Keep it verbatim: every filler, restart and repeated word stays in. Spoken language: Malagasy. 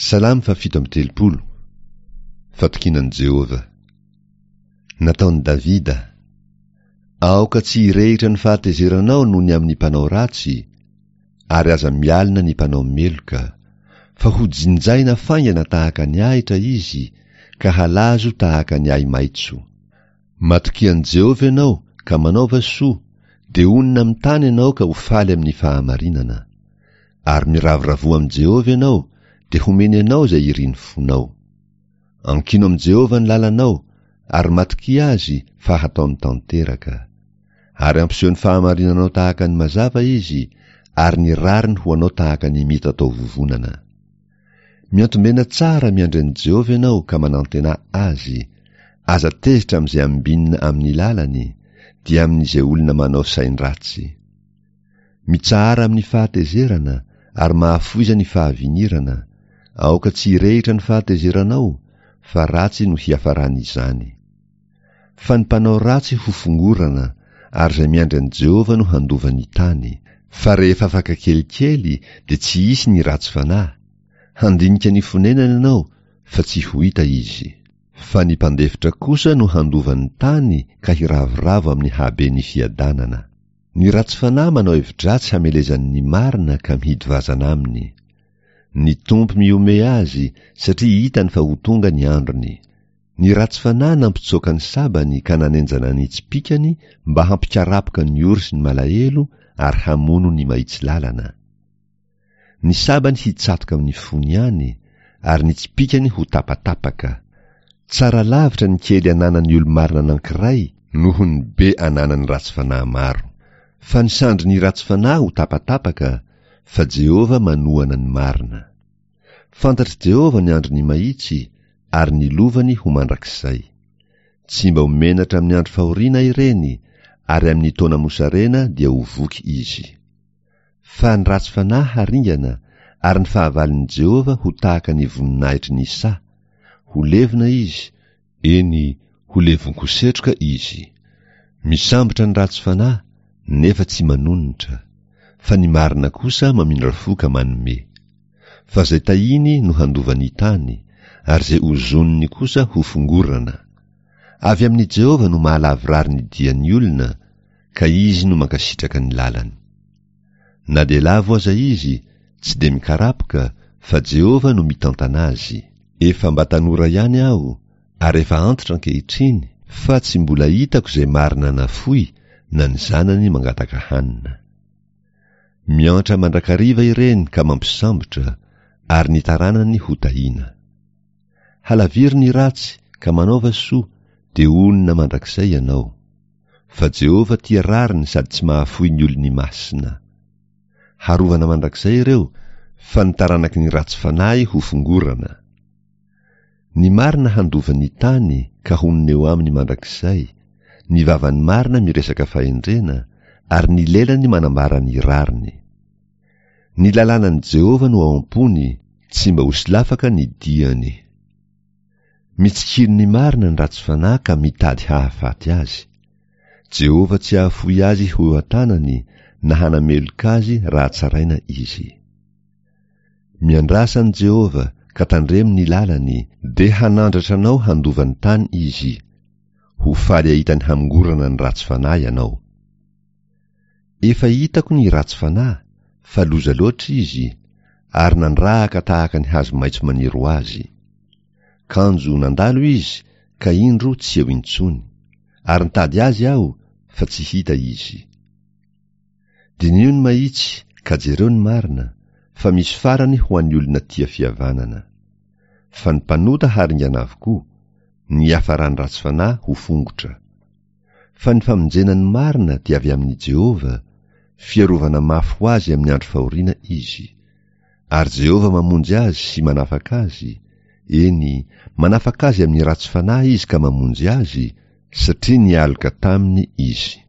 Salamo fahafito amby telopolo. Fatokiana an'i Jehovah. Nataon'i Davida. Aoka tsy hirehitra ny fahatezeranao noho ny amin'ny mpanao ratsy, ary aza mialona ny mpanao meloka, fa ho jinjaina faingana tahaka ny ahitra izy, ka halazo tahaka ny ahi-maitso. Matokia an'i Jehovah ianao ka manaova soa, dia honina amin'ny tany ianao ka ho faly amin'ny fahamarinana. Ary miravoravoa amin'i Jehovah ianao, dia homeny anao izay irin'ny fonao. Ankino amin'i Jehovah ny lalanao, ary matokia azy fa hataony tanteraka. Ary hampiseho ny fahamarinanao tahaka ny mazava izy, ary ny rariny ho anao tahaka ny mitatao vovonana. Miantombena tsara miandry an'i Jehovah ianao ka manantena azy, aza tezitra amin'izay ambinina amin'ny lalany, dia amin'izay olona manao sain-dratsy. Mitsahara amin'ny fahatezerana ary mahafoiza ny fahavinirana, aoka tsy hirehitra ny fahatezeranao, fa ratsy no hiafaran'izany. Fa ny mpanao ratsy ho fongorana, ary izay miandry an'i Jehovah no handova ny tany. Fa rehefa afaka kelikely dia tsy hisy ny ratsy fanahy, handinika ny fonenany ianao fa tsy ho hita izy. Fa ny mpandefitra kosa no handova ny tany ka hiravoravo amin'ny haben'ny fiadanana. Ny ratsy fanahy manao hevi-dratsy hamelezany ny marina ka mihidy vazana aminy. Ny Tompo mihomehy azy satria hitany fa ho tonga ny androny. Ny ratsy fanahy nampitsoaka ny sabany ka nanenjana ny tsipìkany mba hampikarapoka ny ory sy ny malahelo ary hamono ny mahitsy lalana. Ny sabany hitsatoka amin'ny fony ihany, ary ny tsipìkany ho tapatapaka. Tsara lavitra ny kely ananan'ny olo-marina anankiray noho ny be ananan'ny ratsy fanahy maro. Fa ny sandrin'ny ratsy fanahy ho tapatapaka, fa Jehovah manohana ny marina. Fantatr'i Jehovah ny andron'ny mahitsy, ary ny lovany ho mandrakizay. Tsy mba ho menatra amin'ny andro fahoriana ireny, ary amin'ny taona mosarena dia ho voky izy. Fa ny ratsy fanahy haringana, ary ny fahavalon'i Jehovah ho tahaka ny voninahitry ny saha, ho levona izy, eny, ho levon-ko setroka izy. Misambotra ny ratsy fanahy, nefa tsy manonitra, fa ny marina kosa mamindra fo ka manome. Fa izay tahiny no handova ny tany, ary izay ozoniny kosa ho fongorana. Avy amin'i Jehovah no mahalavorary ny dian'ny olona, ka izy no mankasitraka ny lalany. Na dia lavo aza izy, tsy dia mikarapoka, fa Jehovah no mitantana azy. Efa mba tanora ihany aho, ary efa antitra ankehitriny, fa tsy mbola hitako izay marina nafoy na ny zanany mangataka hanina. Miantra mandrakariva ireny ka mampisambotra, ary ny taranany ho tahiana. Halaviro ny ratsy ka manaova soa, dia honina mandrakizay ianao. Fa Jehovah tia rariny sady tsy mahafoy ny olony masina. Harovana mandrakizay ireo, fa ny taranaky ny ratsy fanahy ho fongorana. Ny marina handova ny tany ka honina eo aminy mandrakizay, ny vavan'ny marina miresaka fahendrena, ary ny lelany manambara ny rariny. Ny lalànan'i Jehovah no ao am-pony, tsy mba ho solafaka ny diany. Mitsikilo ny marina ny ratsy fanahy ka mitady hahafaty azy. Jehovah tsy hahafoy azy ho eo an-tanany na hanameloka azy raha tsaraina izy. Miandrasa an'i Jehovah ka tandremo ny lalany, dia hanandratra anao handova ny tany izy. Ho faly hahita ny hamongorana ny ratsy fanahy ianao. Efa hitako ny ratsy fanahy, fa loza loatra izy, ary nandrahaka tahaka ny hazo maitso maniry ho azy. Kanjo nandalo izy, ka indro tsy eo intsony, ary nitady azy aho, fa tsy hita izy. Diniho ny mahitsy, ka jereo ny marina, fa misy farany ho an'ny olona tia fihavanana. Fa ny mpanota haringana avokoa, ny hiafaran'ny ratsy fanahy ho fongotra. Fa ny famonjena ny marina dia avy amin'i Jehovah, fiarovana mafy ho azy amin'ny andro fahoriana izy. Ary Jehovah mamonjy azy sy manafaka azy, eny, manafaka azy amin'ny ratsy fanahy izy ka mamonjy azy, satria nialoka taminy izy.